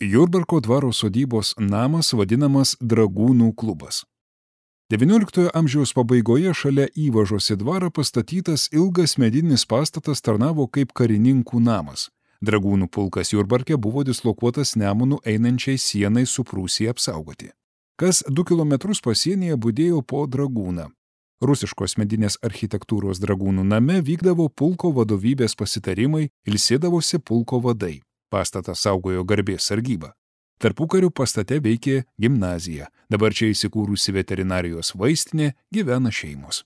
Jurbarko dvaro sodybos namas vadinamas Dragūnų klubas. XIX amžiaus pabaigoje šalia įvažos į dvarą pastatytas ilgas medinis pastatas tarnavo kaip karininkų namas. Dragūnų pulkas Jurbarke buvo dislokuotas Nemunu einančiai sienai su Prūsija apsaugoti. Kas 2 kilometrus pasienyje budėjo po dragūną. Rusiškos medinės architektūros Dragūnų name vykdavo pulko vadovybės pasitarimai, ilsėdavosi pulko vadai. Pastatą saugojo garbės sargyba. Tarpukariu pastate veikė gimnazija. Dabar čia įsikūrusi veterinarijos vaistinė, gyvena šeimos.